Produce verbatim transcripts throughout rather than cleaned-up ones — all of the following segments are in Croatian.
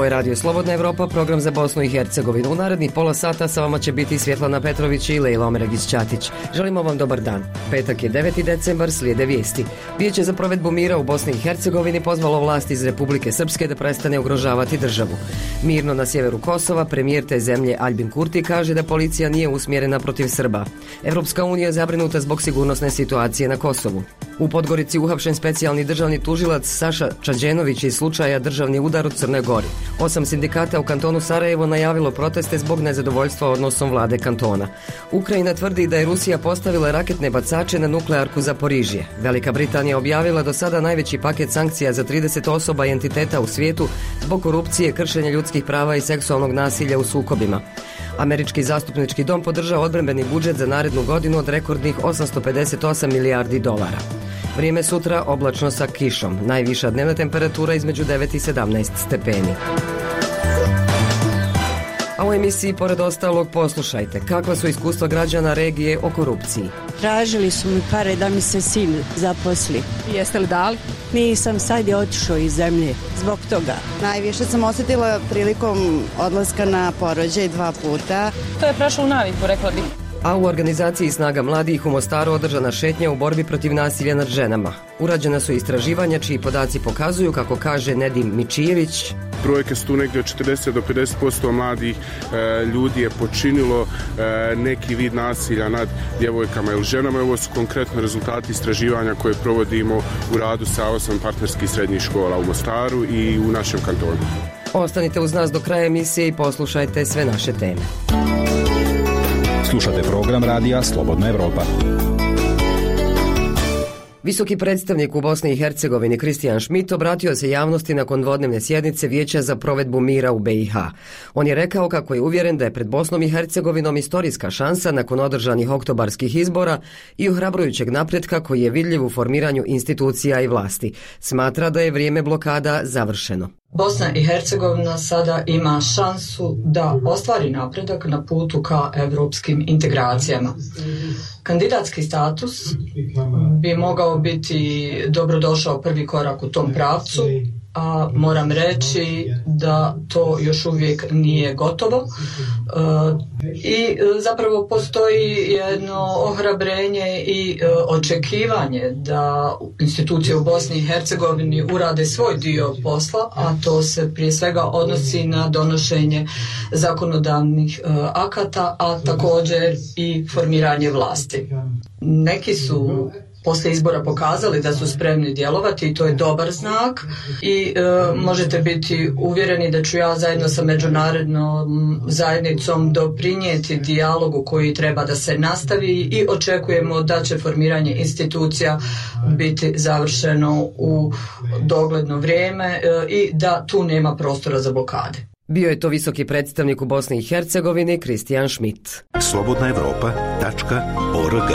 je Radio Slobodna Evropa, program za Bosnu i Hercegovinu. U narednih pola sata sa vama će biti Svjetlana Petrović i Lejla Omeragić-Ćatić. Želimo vam dobar dan. Petak je deveti decembar, slijede vijesti. Vijeće za provedbu mira u Bosni i Hercegovini pozvalo vlast iz Republike Srpske da prestane ugrožavati državu. Mirno na sjeveru Kosova, premijer te zemlje Aljbin Kurti kaže da policija nije usmjerena protiv Srba. Evropska unija je zabrinuta zbog sigurnosne situacije na Kosovu. U Podgorici uhapšen specijalni državni tužilac Saša Čađenović iz slučaja državni udar u Crnoj Gori. Osam sindikata u kantonu Sarajevo najavilo proteste zbog nezadovoljstva odnosom vlade kantona. Ukrajina tvrdi da je Rusija postavila raketne bacače na nuklearku Zaporižje. Velika Britanija objavila do sada najveći paket sankcija za trideset osoba i entiteta u svijetu zbog korupcije, kršenja ljudskih prava i seksualnog nasilja u sukobima. Američki zastupnički dom podržao odbrambeni budžet za narednu godinu od rekordnih osamsto pedeset osam milijardi dolara. Vrijeme sutra oblačno sa kišom. Najviša dnevna temperatura između devet i sedamnaest stepeni. A u emisiji pored ostalog poslušajte kakva su iskustva građana regije o korupciji. Tražili su mi pare da mi se sin zaposli. Jeste li dali? Nisam, sad je otišao iz zemlje zbog toga. Najviše sam osjetila prilikom odlaska na porođaj dva puta. To je prošlo u naviku, rekla bih. A u organizaciji Snaga mladih u Mostaru održana šetnja u borbi protiv nasilja nad ženama. Urađena su istraživanja čiji podaci pokazuju, kako kaže Nedim Mičijević, brojke su tu negdje od četrdeset do pedeset posto mladih e, ljudi je počinilo e, neki vid nasilja nad djevojkama ili ženama. Ovo su konkretno rezultati istraživanja koje provodimo u radu sa osam partnerskih srednjih škola u Mostaru i u našem kantonu. Ostanite uz nas do kraja emisije i poslušajte sve naše teme. Slušate program radija Slobodna Evropa. Visoki predstavnik u Bosni i Hercegovini Kristijan Šmit obratio se javnosti nakon dvodnevne sjednice Vijeća za provedbu mira u B i H. On je rekao kako je uvjeren da je pred Bosnom i Hercegovinom istorijska šansa nakon održanih oktobarskih izbora i ohrabrujućeg napretka koji je vidljiv u formiranju institucija i vlasti. Smatra da je vrijeme blokada završeno. Bosna i Hercegovina sada ima šansu da ostvari napredak na putu ka evropskim integracijama. Kandidatski status bi mogao biti dobrodošao prvi korak u tom pravcu, a moram reći da to još uvijek nije gotovo i zapravo postoji jedno ohrabrenje i očekivanje da institucije u Bosni i Hercegovini urade svoj dio posla, a to se prije svega odnosi na donošenje zakonodavnih akata, a također i formiranje vlasti. Neki su poslije izbora pokazali da su spremni djelovati i to je dobar znak i e, možete biti uvjereni da ću ja zajedno sa međunarodnom zajednicom doprinijeti dijalogu koji treba da se nastavi i očekujemo da će formiranje institucija biti završeno u dogledno vrijeme e, i da tu nema prostora za blokade. Bio je to visoki predstavnik u Bosni i Hercegovini Kristijan Šmit. slobodna evropa tačka org.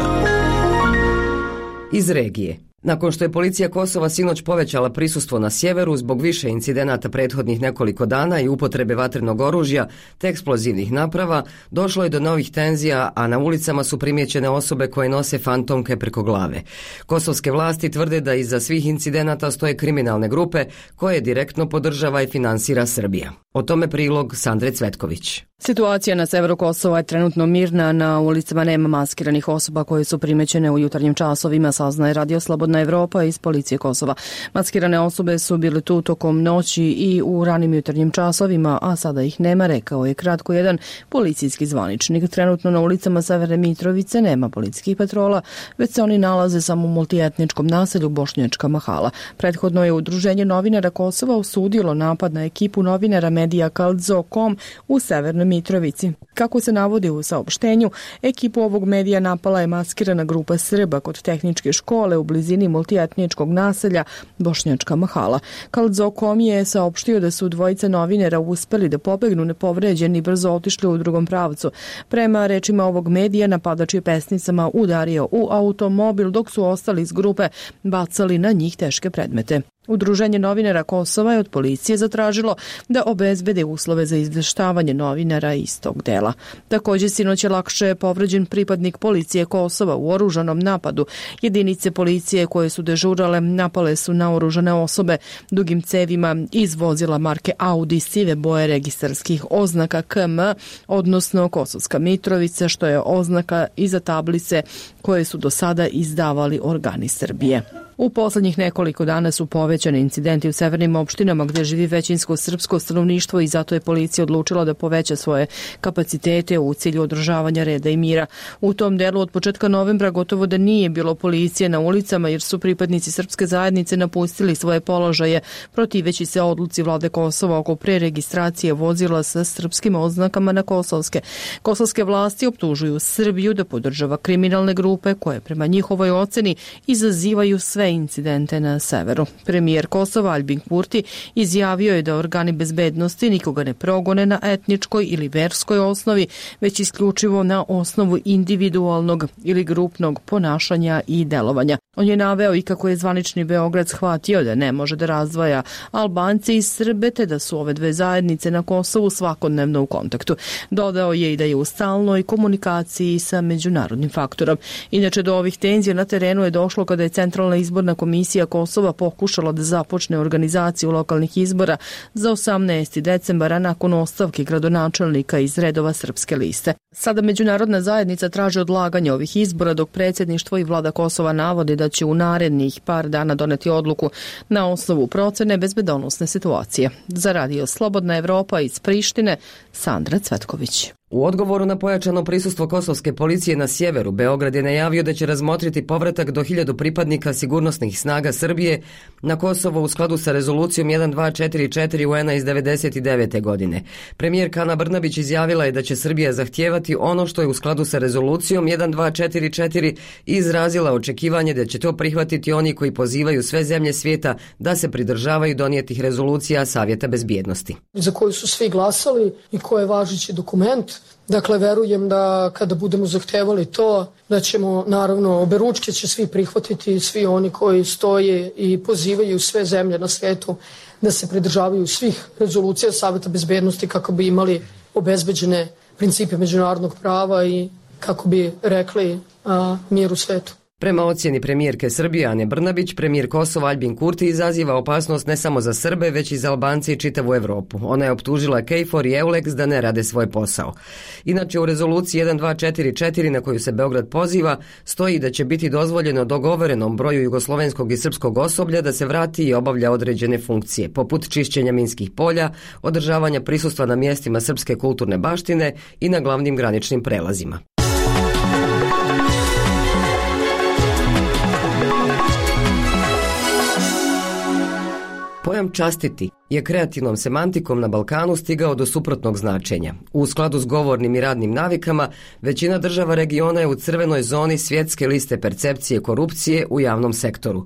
Iz regije. Nakon što je policija Kosova sinoć povećala prisustvo na sjeveru zbog više incidenata prethodnih nekoliko dana i upotrebe vatrenog oružja te eksplozivnih naprava, došlo je do novih tenzija, a na ulicama su primijećene osobe koje nose fantomke preko glave. Kosovske vlasti tvrde da iza svih incidenata stoje kriminalne grupe koje direktno podržava i finansira Srbija. O tome prilog Sandre Cvetković. Situacija na severu Kosova je trenutno mirna, na ulicama nema maskiranih osoba koje su primećene u jutarnjim časovima, saznaje Radio Slobodna Evropa iz policije Kosova. Maskirane osobe su bile tu tokom noći i u ranim jutarnjim časovima, a sada ih nema, rekao je kratko jedan policijski zvaničnik. Trenutno na ulicama Severne Mitrovice nema policijskih patrola, već se oni nalaze samo u multietničkom naselju Bošnjačka Mahala. Prethodno je Udruženje novinara Kosova osudilo napad na ekipu novinara medija Kaldzo tačka com u Severnoj Mitrovici. Kako se navodi u saopštenju, ekipu ovog medija napala je maskirana grupa Srba kod tehničke škole u blizini multietničkog naselja Bošnjačka Mahala. Kaldzo tačka com je saopštio da su dvojica novinara uspeli da pobegnu nepovređeni i brzo otišli u drugom pravcu. Prema rečima ovog medija, napadač je pesnicama udario u automobil dok su ostali iz grupe bacali na njih teške predmete. Udruženje novinara Kosova je od policije zatražilo da obezbede uslove za izveštavanje novinara iz tog dela. Također, sinoć je lakše povređen pripadnik policije Kosova u oružanom napadu. Jedinice policije koje su dežurale napale su na oružane osobe dugim cevima iz vozila marke Audi sive boje registarskih oznaka K M, odnosno Kosovska Mitrovica, što je oznaka iza tablice koje su do sada izdavali organi Srbije. U poslednjih nekoliko dana su povećani incidenti u severnim opštinama gdje živi većinsko srpsko stanovništvo i zato je policija odlučila da poveća svoje kapacitete u cilju održavanja reda i mira. U tom delu od početka novembra gotovo da nije bilo policije na ulicama jer su pripadnici srpske zajednice napustili svoje položaje protiveći se odluci vlade Kosova oko preregistracije vozila sa srpskim oznakama na kosovske. Kosovske vlasti optužuju Srbiju da podržava kriminalne grupe koje prema njihovoj oceni izazivaju sve incidente na severu. Premijer Kosova Albin Kurti izjavio je da organi bezbednosti nikoga ne progone na etničkoj ili verskoj osnovi, već isključivo na osnovu individualnog ili grupnog ponašanja i delovanja. On je naveo i kako je zvanični Beograd shvatio da ne može da razdvaja Albance i Srbe, te da su ove dve zajednice na Kosovu svakodnevno u kontaktu. Dodao je i da je u stalnoj komunikaciji sa međunarodnim faktorom. Inače, do ovih tenzija na terenu je došlo kada je Centralna izborna komisija Kosova pokušala da započne organizaciju lokalnih izbora za osamnaesti decembara nakon ostavke gradonačelnika iz redova Srpske liste. Sada međunarodna zajednica traži odlaganje ovih izbora, dok predsjedništvo i vlada Kosova navodi da će u narednih par dana doneti odluku na osnovu procene bezbedonosne situacije. Za Radio Slobodna Evropa iz Prištine, Sandra Cvetković. U odgovoru na pojačano prisustvo kosovske policije na sjeveru, Beograd je najavio da će razmotriti povratak do hiljadu pripadnika sigurnosnih snaga Srbije na Kosovo u skladu sa rezolucijom jedan dva četiri četiri U N-a iz devedeset devete. godine. Premijerka Ana Brnabić izjavila je da će Srbija zahtijevati ono što je u skladu sa rezolucijom jedan dva četiri četiri i izrazila očekivanje da će to prihvatiti oni koji pozivaju sve zemlje svijeta da se pridržavaju donijetih rezolucija Savjeta bezbjednosti. Za koju su svi glasali i koji je važeći dokument. Dakle, verujem da kada budemo zahtevali to, da ćemo, naravno, oberučke će svi prihvatiti, svi oni koji stoje i pozivaju sve zemlje na svijetu da se pridržavaju svih rezolucija Savjeta bezbednosti kako bi imali obezbeđene principe međunarodnog prava i kako bi rekli a, mir u svijetu. Prema ocjeni premijerke Srbije Ane Brnabić, premijer Kosova Albin Kurti izaziva opasnost ne samo za Srbe, već i za Albance i čitavu Evropu. Ona je optužila KFOR i EULEX da ne rade svoj posao. Inače, u rezoluciji jedan dva četiri četiri na koju se Beograd poziva, stoji da će biti dozvoljeno dogovorenom broju jugoslovenskog i srpskog osoblja da se vrati i obavlja određene funkcije, poput čišćenja minskih polja, održavanja prisustva na mjestima srpske kulturne baštine i na glavnim graničnim prelazima. Pojam častiti je kreativnom semantikom na Balkanu stigao do suprotnog značenja. U skladu s govornim i radnim navikama, većina država regiona je u crvenoj zoni svjetske liste percepcije korupcije u javnom sektoru.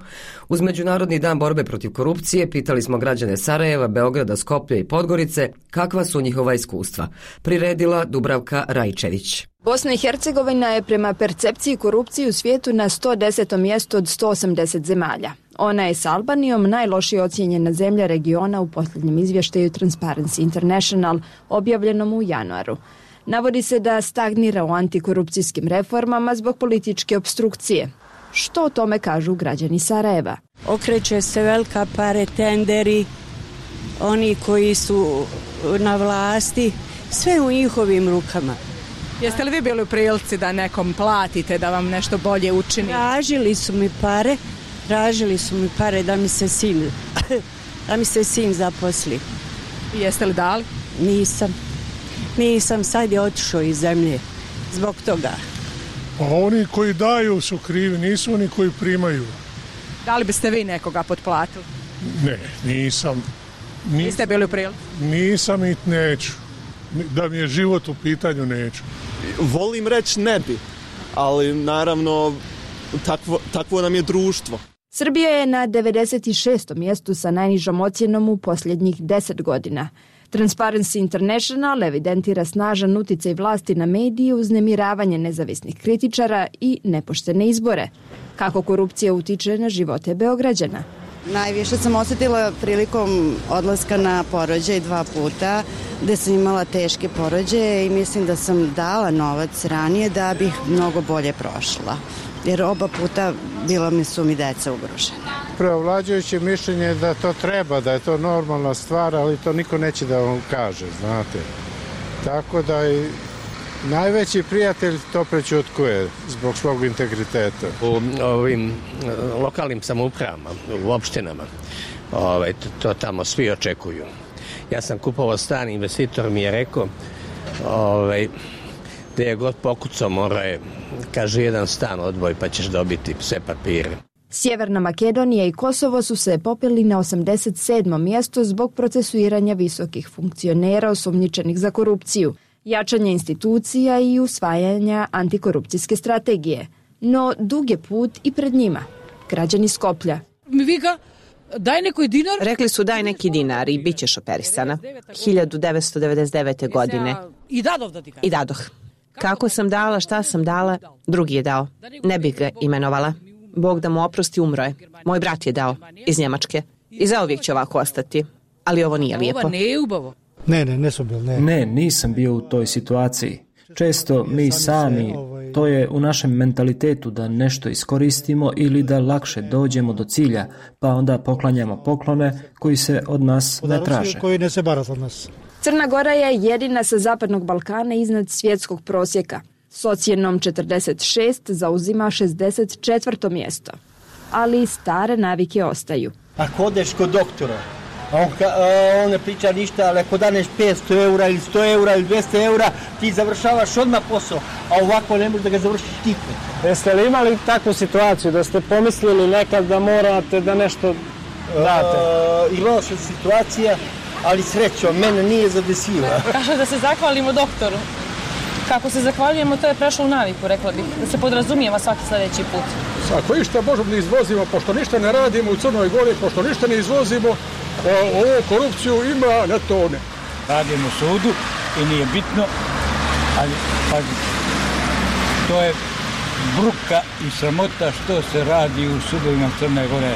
Uz Međunarodni dan borbe protiv korupcije pitali smo građane Sarajeva, Beograda, Skoplja i Podgorice kakva su njihova iskustva. Priredila Dubravka Rajčević. Bosna i Hercegovina je prema percepciji korupcije u svijetu na sto desetom mjestu od sto osamdeset zemalja. Ona je s Albanijom najlošije ocijenjena zemlja regiona u posljednjem izvještaju Transparency International objavljenom u januaru. Navodi se da stagnira u antikorupcijskim reformama zbog političke opstrukcije. Što o tome kažu građani Sarajeva? Okreće se velika pare, tenderi, oni koji su na vlasti, sve u njihovim rukama. Jeste li vi bili u prilici da nekom platite da vam nešto bolje učini? Tražili su mi pare, tražili su mi pare da mi se sin, da mi se sin zaposli. I jeste li dali? Nisam. Nisam, sad je otišao iz zemlje zbog toga. Pa oni koji daju su krivi, nisu oni koji primaju. Da li biste vi nekoga potplatili? Ne, nisam. Ni, Niste bili u prilici? Nisam i neću. Da mi je život u pitanju, neću. Volim reći ne bi, ali naravno takvo, takvo nam je društvo. Srbija je na devedeset šestom mjestu sa najnižom ocjenom u posljednjih deset godina. Transparency International evidentira snažan uticaj vlasti na medije, uznemiravanje nezavisnih kritičara i nepoštene izbore. Kako korupcija utiče na živote Beograđana? Najviše sam osjetila prilikom odlaska na porođaj dva puta, gde sam imala teške porođaje i mislim da sam dala novac ranije da bih mnogo bolje prošla. Jer oba puta bila mi su mi deca ugrožena. Preovlađujuće mišljenje je da to treba, da je to normalna stvar, ali to niko neće da vam kaže, znate. Tako da i najveći prijatelj to prećutkuje zbog svog integriteta. U ovim lokalnim samoupravama, u opštinama, ovaj, to, to tamo svi očekuju. Ja sam kupovao stan, investitor mi je rekao, ovaj, da je god pokucao mora je, kaže, jedan stan odvoj pa ćeš dobiti sve papire. Sjeverna Makedonija i Kosovo su se popeli na osamdeset sedmo mjesto zbog procesuiranja visokih funkcionera osumnjičenih za korupciju, jačanja institucija i usvajanja antikorupcijske strategije. No dug je put i pred njima. Građani Skoplja. Mi vika, daj neki dinar. Rekli su daj neki dinar i bit ćeš operisana. hiljadu devetsto devedeset devete. godine. I dadov da ti kažem. I dadoh. Kako sam dala, šta sam dala, drugi je dao. Ne bih ga imenovala. Bog da mu oprosti, umro je. Moj brat je dao, iz Njemačke. I zauvijek će ovako ostati. Ali ovo nije lijepo. Ovo nije ubavo. Ne, ne, nisam bil, ne. Ne, nisam bio u toj situaciji. Često mi sami, to je u našem mentalitetu da nešto iskoristimo ili da lakše dođemo do cilja, pa onda poklanjamo poklone koji se od nas ne traže. Koji ne se barat od nas. Crna Gora je jedina sa Zapadnog Balkana iznad svjetskog prosjeka. S ocjenom četrdeset šest zauzima šezdeset četvrto mjesto. Ali stare navike ostaju. Ako odeš kod doktora, a on, a on ne priča ništa, ali ako daneš petsto eura ili sto eura ili dvjesto eura, ti završavaš odmah posao, a ovako ne možeš da ga završiš nikad. Jeste li imali takvu situaciju da ste pomislili nekad da morate da nešto date? Uh, imao sam situacija, ali srećom, mene nije zadesila. Kaže da se zahvalimo doktoru. Kako se zahvaljujemo, to je prešlo u naviku, rekla bih, da se podrazumijeva svaki sljedeći put. Ako išta možemo da izvozimo, pošto ništa ne radimo u Crnoj Gori, pošto ništa ne izvozimo, ovu korupciju ima na tone. Radimo u sudu i nije bitno, ali pazite, to je bruka i sramota što se radi u sudovima Crne Gore.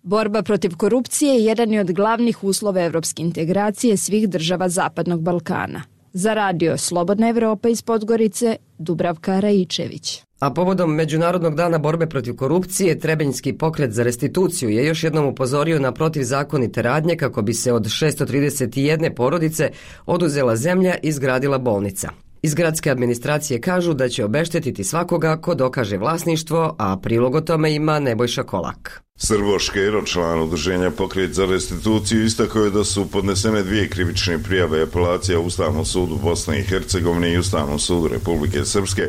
Borba protiv korupcije je jedan od glavnih uslova evropske integracije svih država Zapadnog Balkana. Za radio Slobodna Evropa iz Podgorice, Dubravka Raičević. A povodom Međunarodnog dana borbe protiv korupcije, Trebinjski pokret za restituciju je još jednom upozorio na protivzakonite radnje kako bi se od šesto trideset jedne porodice oduzela zemlja i izgradila bolnica. Iz gradske administracije kažu da će obeštetiti svakoga ko dokaže vlasništvo, a prilog o tome ima Nebojša Kolak. Srbo Škero, član udruženja Pokret za restituciju, istakao je da su podnesene dvije krivične prijave i apelacija u Ustavnom sudu Bosne i Hercegovine i Ustavnom sudu Republike Srpske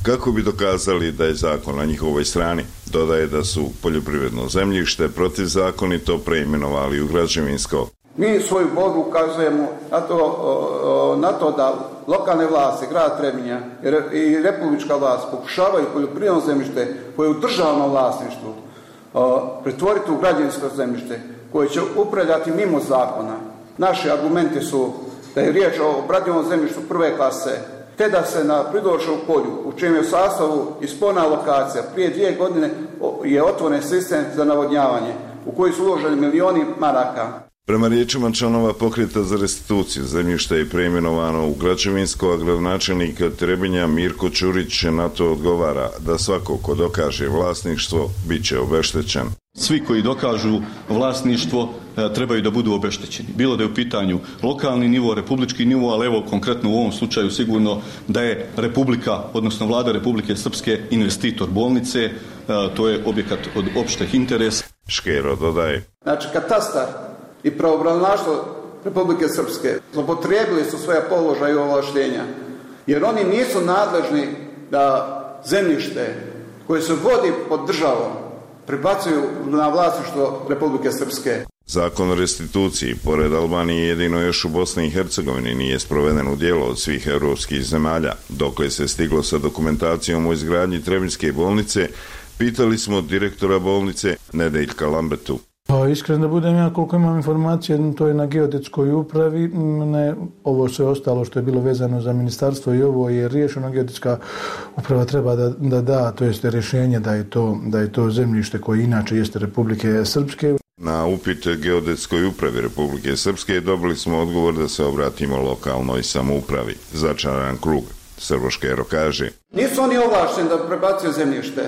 kako bi dokazali da je zakon na njihovoj strani. Dodaje da su poljoprivredno zemljište protivzakonito preimenovali u građevinsko. Mi svoju borbu ukazujemo na to, na to da lokalne vlasti, grad Trebinja i republička vlast pokušavaju poljoprivredno zemljište koje je u državnom vlasništvu pretvoriti u građevinsko zemljište koje će upravljati mimo zakona. Naši argumenti su da je riječ o obradivom zemljištu prve klase, te da se na Pridorčevom polju, u čijem je sastavu i spona lokacija, prije dvije godine je otvoren sistem za navodnjavanje, u koji su uloženi milioni maraka. Prema riječima članova Pokreta za restituciju, zemljište je preimenovano u građevinsko, a gradonačelnik Trebinja Mirko Ćurić na to odgovara da svako ko dokaže vlasništvo bit će obeštećen. Svi koji dokažu vlasništvo trebaju da budu obeštećeni. Bilo da je u pitanju lokalni nivo, republički nivo, ali evo konkretno u ovom slučaju sigurno da je Republika, odnosno Vlada Republike Srpske investitor bolnice, to je objekat od opšteg interesa. Škero dodaje. Znači katastar i pravobranilaštvo Republike Srpske zloupotrijebili su svoje položaje i ovlaštenja, jer oni nisu nadležni da zemljište koje se vodi pod državom prebacuju na vlasništvo Republike Srpske. Zakon o restituciji, pored Albanije, jedino još u Bosni i Hercegovini nije sproveden u djelo od svih europskih zemalja. Dokle se stiglo sa dokumentacijom o izgradnji Trebinjske bolnice, pitali smo direktora bolnice Nedeljka Lambetu. Pa iskreno da budem ja, koliko imam informacije, to je na geodetskoj upravi, ne, ovo sve ostalo što je bilo vezano za ministarstvo i ovo je riješeno, geodetska uprava treba da da, da to jeste rješenje da je to, da je to zemljište koje inače jeste Republike Srpske. Na upit geodetskoj upravi Republike Srpske dobili smo odgovor da se obratimo lokalnoj samoupravi. Začaran krug. Srboškero kaže. Nisu oni ovlašteni da prebacuju zemljište,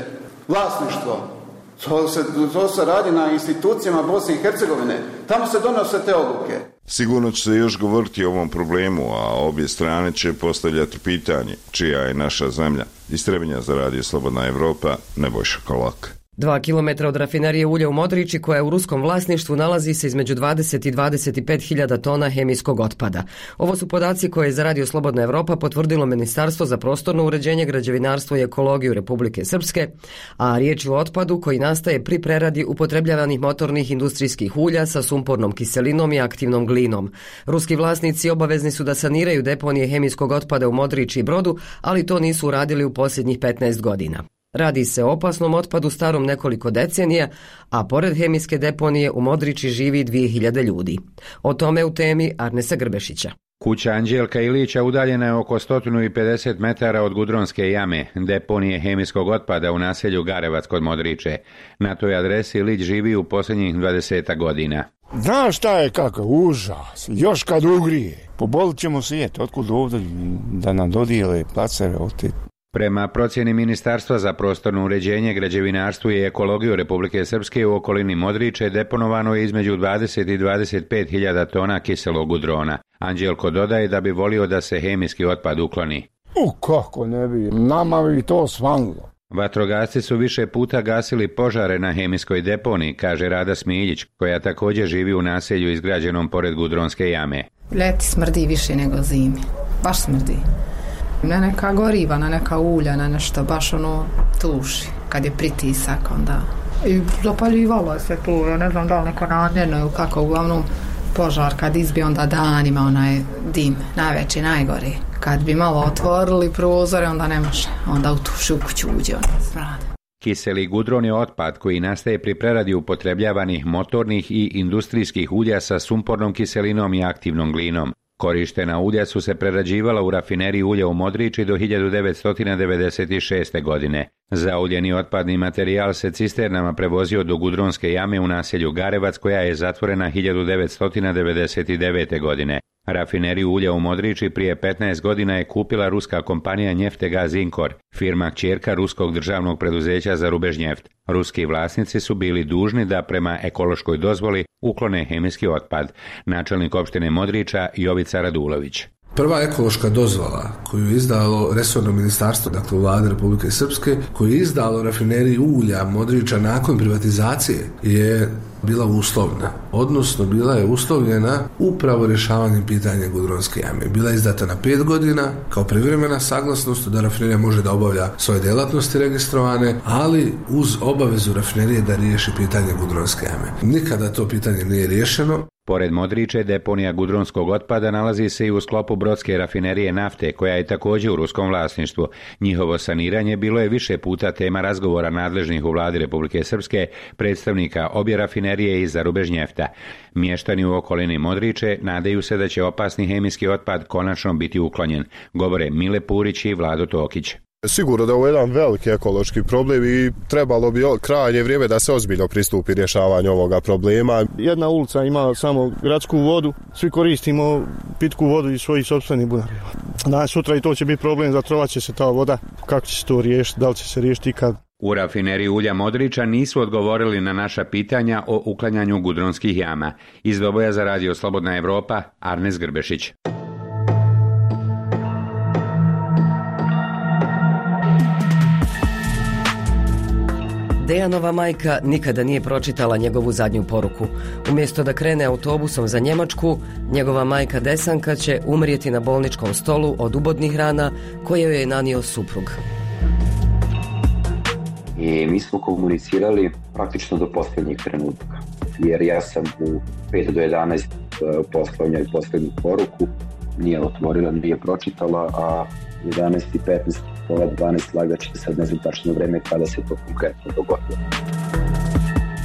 vlasništvo. To se, to se radi na institucijama Bosne i Hercegovine. Tamo se donose te odluke. Sigurno će se još govoriti o ovom problemu, a obje strane će postavljati pitanje čija je naša zemlja. Iz Trebinja za Radio Slobodna Evropa, Nebojša Kolak. Dva kilometra od rafinerije ulja u Modriči, koja je u ruskom vlasništvu, nalazi se između dvadeset i dvadeset pet hiljada tona hemijskog otpada. Ovo su podaci koje je za Radio Slobodna Evropa potvrdilo Ministarstvo za prostorno uređenje, građevinarstvo i ekologiju Republike Srpske, a riječ je o otpadu koji nastaje pri preradi upotrebljavanih motornih industrijskih ulja sa sumpornom kiselinom i aktivnom glinom. Ruski vlasnici obavezni su da saniraju deponije hemijskog otpada u Modriči i Brodu, ali to nisu uradili u posljednjih petnaest godina. Radi se o opasnom otpadu starom nekoliko decenija, a pored hemijske deponije u Modriči živi dvije hiljade ljudi. O tome u temi Arnesa Grbešića. Kuća Anđelka Ilića udaljena je oko sto pedeset metara od Gudronske jame, deponije hemijskog otpada u naselju Garevac kod Modriče. Na toj adresi Ilić živi u posljednjih dvadeset godina. Znaš šta je kakav užas, još kad ugrije. Pobolit ćemo svijet, otkud ovdje da nam dodijele placere od te. Prema procjeni Ministarstva za prostorno uređenje, građevinarstvo i ekologiju Republike Srpske u okolini Modriče deponovano je između dvadeset i dvadeset pet hiljada tona kiselog gudrona. Anđelko dodaje da bi volio da se hemijski otpad ukloni. U kako ne bi, nama bi to svanilo. Vatrogasci su više puta gasili požare na hemijskoj deponiji, kaže Rada Smiljić, koja također živi u naselju izgrađenom pored Gudronske jame. Ljeti smrdi više nego zimi, baš smrdi. Na neka goriva, na neka ulja, na nešto, baš ono tuši. Kad je pritisak, onda... I zapaljivalo se tu, ja ne znam da li neko namjerno ili kako, uglavnom požar kad izbije, onda danima onaj dim, najveći, najgori. Kad bi malo otvorili prozore, onda ne može, onda utuši u kuću uđe, onda smrade. Kiseli gudron je otpad koji nastaje pri preradi upotrebljavanih motornih i industrijskih ulja sa sumpornom kiselinom i aktivnom glinom. Korištena ulja su se prerađivala u rafineriji ulja u Modriči do hiljadu devetsto devedeset šeste. godine. Zauljeni otpadni materijal se cisternama prevozio do Gudronske jame u naselju Garevac, koja je zatvorena hiljadu devetsto devedeset devete. godine. Rafineriju ulja u Modriči prije petnaest godina je kupila ruska kompanija Njeftega Zinkor, firma kćerka ruskog državnog preduzeća za Rubežnjeft. Ruski vlasnici su bili dužni da prema ekološkoj dozvoli uklone hemijski otpad. Načelnik opštine Modriča Jovica Radulović. Prva ekološka dozvola koju je izdalo resorno ministarstvo, dakle vlade Republike Srpske, koju je izdalo rafineriji ulja Modriča nakon privatizacije, je bila uslovna, odnosno bila je uslovljena upravo rješavanjem pitanja Gudronske jame. Bila je izdata na pet godina kao privremena saglasnost da rafinerija može da obavlja svoje djelatnosti registrovane, ali uz obavezu rafinerije da riješi pitanje Gudronske jame. Nikada to pitanje nije riješeno. Pored Modriče, deponija gudronskog otpada nalazi se i u sklopu brodske rafinerije nafte, koja je također u ruskom vlasništvu. Njihovo saniranje bilo je više puta tema razgovora nadležnih u vladi Republike Srpske, predstavnika obje rafinerije i za Rubežnjefta. Mještani u okolini Modriče nadaju se da će opasni hemijski otpad konačno biti uklonjen, govore Mile Purić i Vlado Tokić. Sigurno da je ovo jedan veliki ekološki problem i trebalo bi krajnje vrijeme da se ozbiljno pristupi rješavanju ovoga problema. Jedna ulica ima samo gradsku vodu, svi koristimo pitku vodu iz svojih sopstvenih bunara. Danas sutra i to će biti problem, zatrovat će se ta voda. Kako će se to riješiti, da li će se riješiti ikad? U rafineriji ulja Modriča nisu odgovorili na naša pitanja o uklanjanju gudronskih jama. Iz Doboja za Radio Slobodna Evropa, Arnes Grbešić. Dejanova majka nikada nije pročitala njegovu zadnju poruku. Umjesto da krene autobusom za Njemačku, njegova majka Desanka će umrijeti na bolničkom stolu od ubodnih rana koje joj je nanio suprug. I mi smo komunicirali praktično do posljednjih trenutka, jer ja sam u pet do jedanaest poslao njoj posljednju poruku, nije otvorila, nije pročitala, a jedanaest i petnaest, pola dvanaest lagaće sad ne znam tačno vreme kada se to konkretno dogodilo.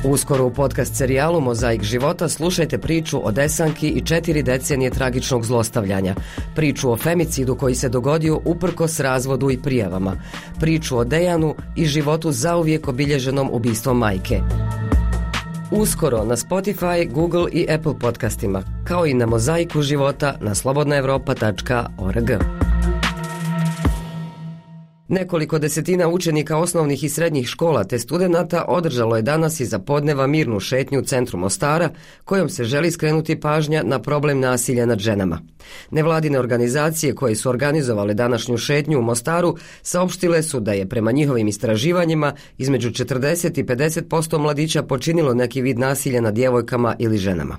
Uskoro u podcast serijalu Mozaik života slušajte priču o Desanki i četiri decenije tragičnog zlostavljanja. Priču o femicidu koji se dogodio uprkos razvodu i prijavama. Priču o Dejanu i životu zauvijek obilježenom ubistvom majke. Uskoro na Spotify, Google i Apple podcastima, kao i na Mozaiku života na slobodna europa tačka org. Nekoliko desetina učenika osnovnih i srednjih škola te studenata održalo je danas iza podneva mirnu šetnju u centru Mostara, kojom se želi skrenuti pažnja na problem nasilja nad ženama. Nevladine organizacije koje su organizovale današnju šetnju u Mostaru saopštile su da je prema njihovim istraživanjima između četrdeset i pedeset posto mladića počinilo neki vid nasilja nad djevojkama ili ženama.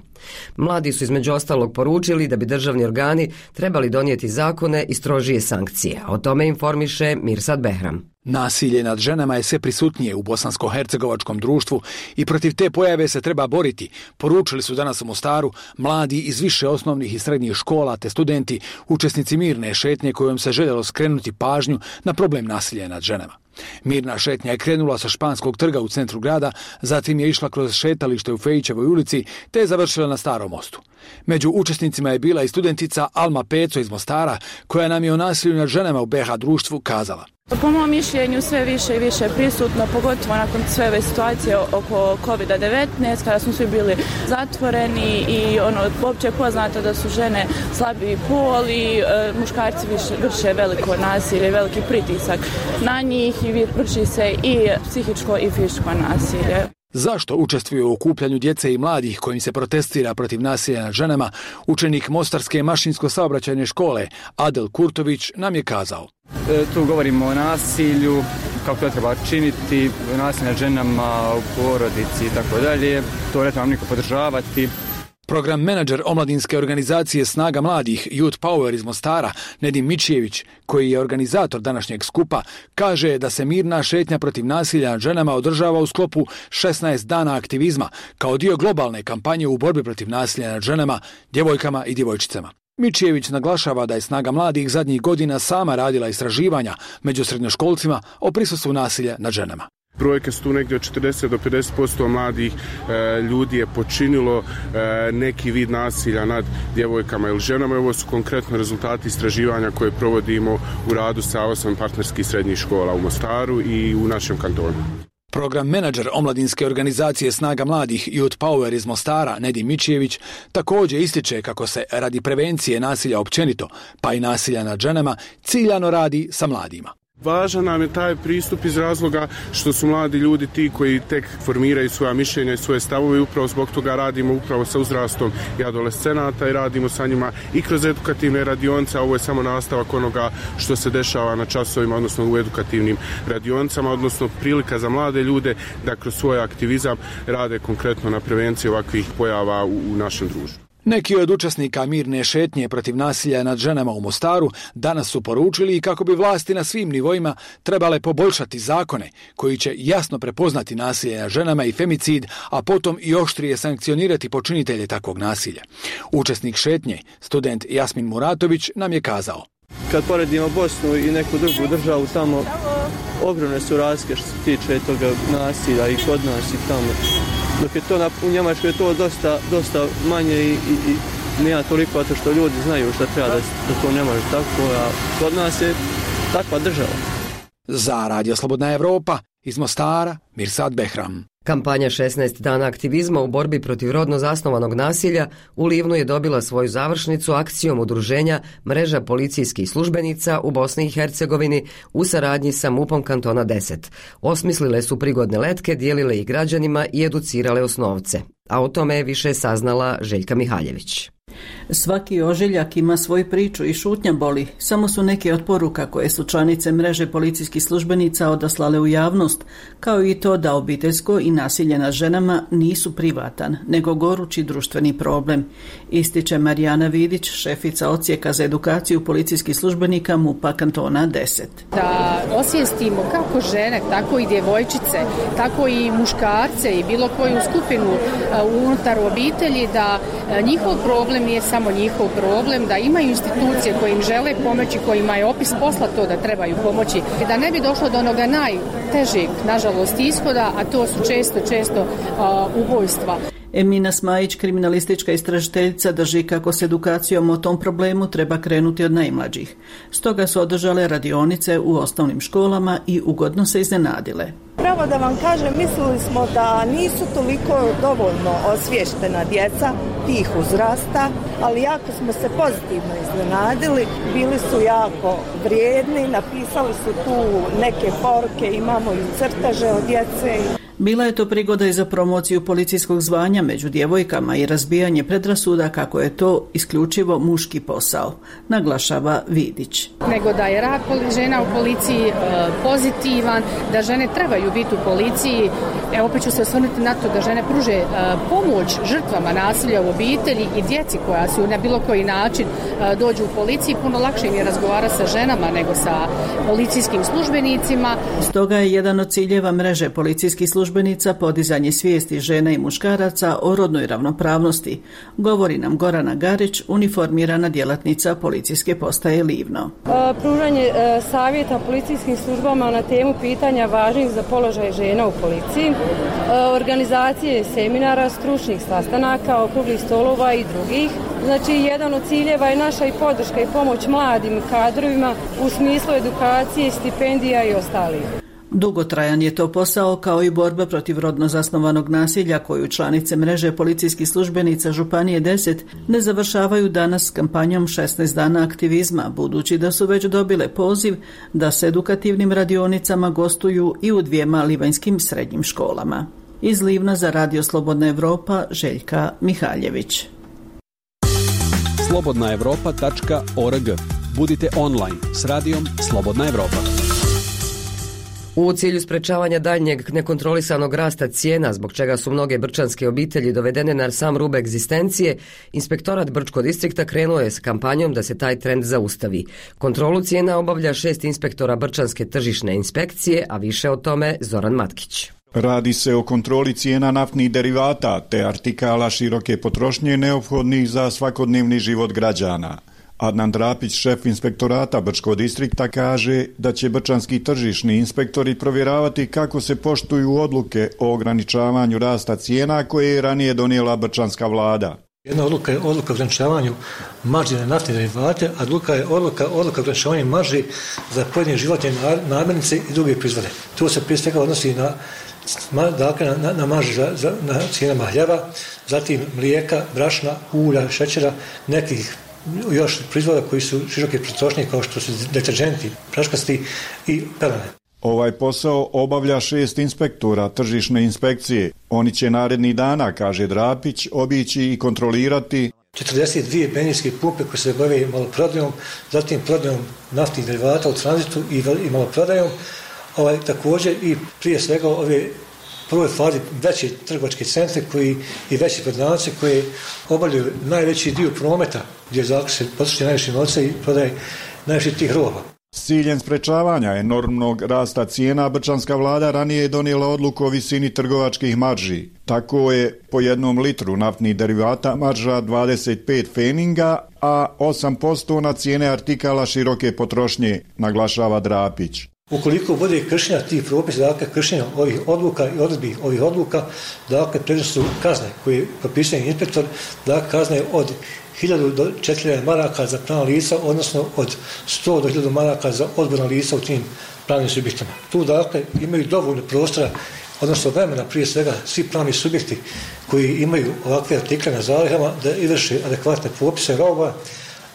Mladi su između ostalog poručili da bi državni organi trebali donijeti zakone i strožije sankcije. O tome informiše Mirsad Behram. Nasilje nad ženama je sve prisutnije u bosansko-hercegovačkom društvu i protiv te pojave se treba boriti, poručili su danas u Mostaru mladi iz više osnovnih i srednjih škola te studenti, učesnici mirne šetnje kojom se željelo skrenuti pažnju na problem nasilja nad ženama. Mirna šetnja je krenula sa Španskog trga u centru grada, zatim je išla kroz šetalište u Fejićevoj ulici te je završila na Starom mostu. Među učesnicima je bila i studentica Alma Peco iz Mostara, koja nam je o nasilju nad ženama u be ha društvu kazala. Po mom mišljenju sve više i više prisutno, pogotovo nakon sve ove situacije oko kovid devetnaest, kada smo svi bili zatvoreni i ono, uopće je poznato da su žene slabiji pol i e, muškarci više, vrše veliko nasilje, veliki pritisak na njih i vrši se i psihičko i fizičko nasilje. Zašto učestvuju u okupljanju djece i mladih kojim se protestira protiv nasilja nad ženama, učenik Mostarske mašinsko-saobraćajne škole Adel Kurtović nam je kazao. E, tu govorimo o nasilju, kako to treba činiti, nasilje nad ženama u porodici i tako dalje. To ne trebam niko podržavati. Program menadžer omladinske organizacije Snaga mladih Youth Power iz Mostara, Nedim Mičijević, koji je organizator današnjeg skupa, kaže da se mirna šetnja protiv nasilja nad ženama održava u sklopu šesnaest dana aktivizma kao dio globalne kampanje u borbi protiv nasilja nad ženama, djevojkama i djevojčicama. Mičijević naglašava da je Snaga mladih zadnjih godina sama radila istraživanja među srednjoškolcima o prisustvu nasilja nad ženama. Brojke su tu negdje od četrdeset do pedeset posto mladih e, ljudi je počinilo e, neki vid nasilja nad djevojkama ili ženama. Ovo su konkretno rezultati istraživanja koje provodimo u radu sa osam partnerskih srednjih škola u Mostaru i u našem kantonu. Program menadžer omladinske organizacije Snaga mladih Youth Power iz Mostara, Nedim Mičijević, također ističe kako se radi prevencije nasilja općenito, pa i nasilja nad ženama, ciljano radi sa mladima. Važan nam je taj pristup iz razloga što su mladi ljudi ti koji tek formiraju svoja mišljenja i svoje stavove i upravo zbog toga radimo upravo sa uzrastom i adolescenata i radimo sa njima i kroz edukativne radionice, a ovo je samo nastavak onoga što se dešava na časovima, odnosno u edukativnim radionicama, odnosno prilika za mlade ljude da kroz svoj aktivizam rade konkretno na prevenciji ovakvih pojava u, u našem društvu. Neki od učesnika mirne šetnje protiv nasilja nad ženama u Mostaru danas su poručili kako bi vlasti na svim nivoima trebale poboljšati zakone koji će jasno prepoznati nasilje nad ženama i femicid, a potom i oštrije sankcionirati počinitelje takvog nasilja. Učesnik šetnje, student Jasmin Muratović, nam je kazao. Kad poredimo Bosnu i neku drugu državu, tamo ogromne su razlike što se tiče toga nasilja i kod nas i tamo. Dok je to na, u Njemačkoj je to dosta, dosta manje i, i, i nema toliko zato što ljudi znaju šta treba da, da to ne može tako, a kod nas je takva država. Za Radio Slobodna Evropa iz Mostara, Mirsad Behram. Kampanja šesnaest dana aktivizma u borbi protiv rodno zasnovanog nasilja u Livnu je dobila svoju završnicu akcijom udruženja Mreža policijskih službenica u Bosni i Hercegovini u saradnji sa mupom kantona deset. Osmislile su prigodne letke, dijelile ih građanima i educirale osnovce. A o tome je više saznala Željka Mihaljević. Svaki ožiljak ima svoju priču i šutnja boli. Samo su neke od poruka koje su članice mreže policijskih službenica odaslale u javnost, kao i to da obiteljsko i nasilje nad ženama nisu privatan, nego gorući društveni problem, ističe Marijana Vidić, šefica odsjeka za edukaciju policijskih službenika MUP-a kantona deset. Da osvijestimo kako žene, tako i djevojčice, tako i muškarce i bilo koju skupinu unutar obitelji da njihov problem problem nije samo njihov problem, da imaju institucije koje im žele pomoći, kojima je opis posla to da trebaju pomoći, i da ne bi došlo do onoga najtežeg, nažalost, ishoda, a to su često, često uh, ubojstva. Emina Smajić, kriminalistička istražiteljica, drži kako s edukacijom o tom problemu treba krenuti od najmlađih. Stoga su održale radionice u osnovnim školama i ugodno se iznenadile. Pravo da vam kažem, mislili smo da nisu toliko dovoljno osvještena djeca tih uzrasta, ali jako smo se pozitivno iznenadili. Bili su jako vrijedni, napisali su tu neke poruke, imamo i crteže od djece. Bila je to prigoda i za promociju policijskog zvanja među djevojkama i razbijanje predrasuda kako je to isključivo muški posao, naglašava Vidić. Nego da je rad žena u policiji e, pozitivan, da žene trebaju biti u policiji. E, opet ću se osvrnuti na to da žene pruže e, pomoć žrtvama nasilja u obitelji i djeci koja su na bilo koji način e, dođu u policiji. Puno lakše im je razgovarati sa ženama nego sa policijskim službenicima. Stoga je jedan od ciljeva mreže policijskih službenika podizanje svijesti žena i muškaraca o rodnoj ravnopravnosti, govori nam Gorana Garić, uniformirana djelatnica policijske postaje Livno. E, pružanje e, savjeta policijskim službama na temu pitanja važnih za položaj žena u policiji, e, organizacije seminara, stručnih sastanaka, okruglih stolova i drugih. Znači, jedan od ciljeva je naša i podrška i pomoć mladim kadrovima u smislu edukacije, stipendija i ostalih. Dugotrajan je to posao kao i borba protiv rodno zasnovanog nasilja koju članice mreže policijskih službenica Županije deset ne završavaju danas s kampanjom šesnaest dana aktivizma, budući da su već dobile poziv da s edukativnim radionicama gostuju i u dvijema livanjskim srednjim školama. Iz Livna za Radio Slobodna Evropa, Željka Mihaljević. slobodna evropa tačka org. Budite online s radijom Slobodna Evropa. U cilju sprečavanja daljnjeg nekontrolisanog rasta cijena, zbog čega su mnoge brčanske obitelji dovedene na sam rub egzistencije, Inspektorat Brčkog distrikta krenuo je s kampanjom da se taj trend zaustavi. Kontrolu cijena obavlja šest inspektora Brčanske tržišne inspekcije, a više o tome Zoran Matkić. Radi se o kontroli cijena naftnih derivata te artikala široke potrošnje neophodnih za svakodnevni život građana. Adnan Drapić, šef inspektorata Brčkog distrikta, kaže da će brčanski tržišni inspektori provjeravati kako se poštuju odluke o ograničavanju rasta cijena koje je ranije donijela brčanska vlada. Jedna odluka je odluka o ograničavanju marži na naftne derivate, a druga je odluka, odluka o ograničavanju marži za pojedine životne namirnice i druge proizvode. To se prije svega odnosi na dakle, na, na marži za, za, na cijenama hljeba, zatim mlijeka, brašna, ulja, šećera, nekih još proizvoda koji su široke potrošnje kao što su deterdženti, praškasti i pelene. Ovaj posao obavlja šest inspektora tržišne inspekcije. Oni će narednih dana, kaže Drapić, obići i kontrolirati četrdeset dvije benzinske pumpe koje se bave maloprodajom, zatim prodajom naftnih derivata u tranzitu i, i maloprodajom. Ovaj, također i prije svega ove prvoj fazi veće trgovačke centre koji i veće prodavnice koje obavljaju najveći dio prometa gdje se potroši najviše novca i prodaje najviše tih roba. S ciljem sprečavanja enormnog rasta cijena brčanska vlada ranije je donijela odluku o visini trgovačkih marži. Tako je po jednom litru naftnih derivata marža dvadeset pet feninga, a osam posto na cijene artikala široke potrošnje, naglašava Drapić. Ukoliko bude kršenja tih propisa, dakle kršenja ovih odluka i odredbi ovih odluka, dakle predviđene su kazne koje propisuje inspektor, dakle kazne od hiljadu do četiri hiljade maraka za pravna lica, odnosno od sto do hiljadu maraka za odgovorna lica u tim pravnim subjektima. Tu dakle imaju dovoljno prostora, odnosno vremena prije svega svi pravni subjekti koji imaju ovakve artikle na zalihama da izvrše adekvatne popise roba,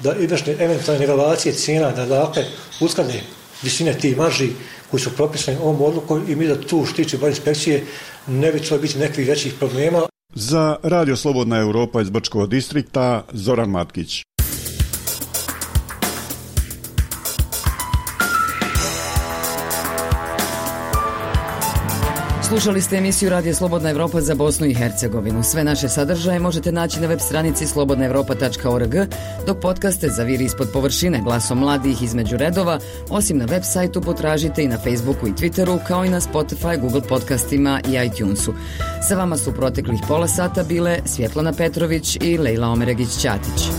da izvrše eventualne nivelacije cijena, da dakle usklade visine tih marži koji su propisani ovom odlukom i mi da tu štići bar inspekcije ne bi trebalo biti nekih većih problema. Za Radio Slobodna Evropa iz Brčkog distrikta, Zoran Matkić. Slušali ste emisiju Radio Slobodna Evropa za Bosnu i Hercegovinu. Sve naše sadržaje možete naći na web stranici slobodna evropa tačka org, dok podcaste za Viri ispod površine glasom mladih između redova, osim na web sajtu potražite i na Facebooku i Twitteru, kao i na Spotify, Google podcastima i iTunesu. Sa vama su proteklih pola sata bile Svjetlana Petrović i Lejla Omeregić-Ćatić.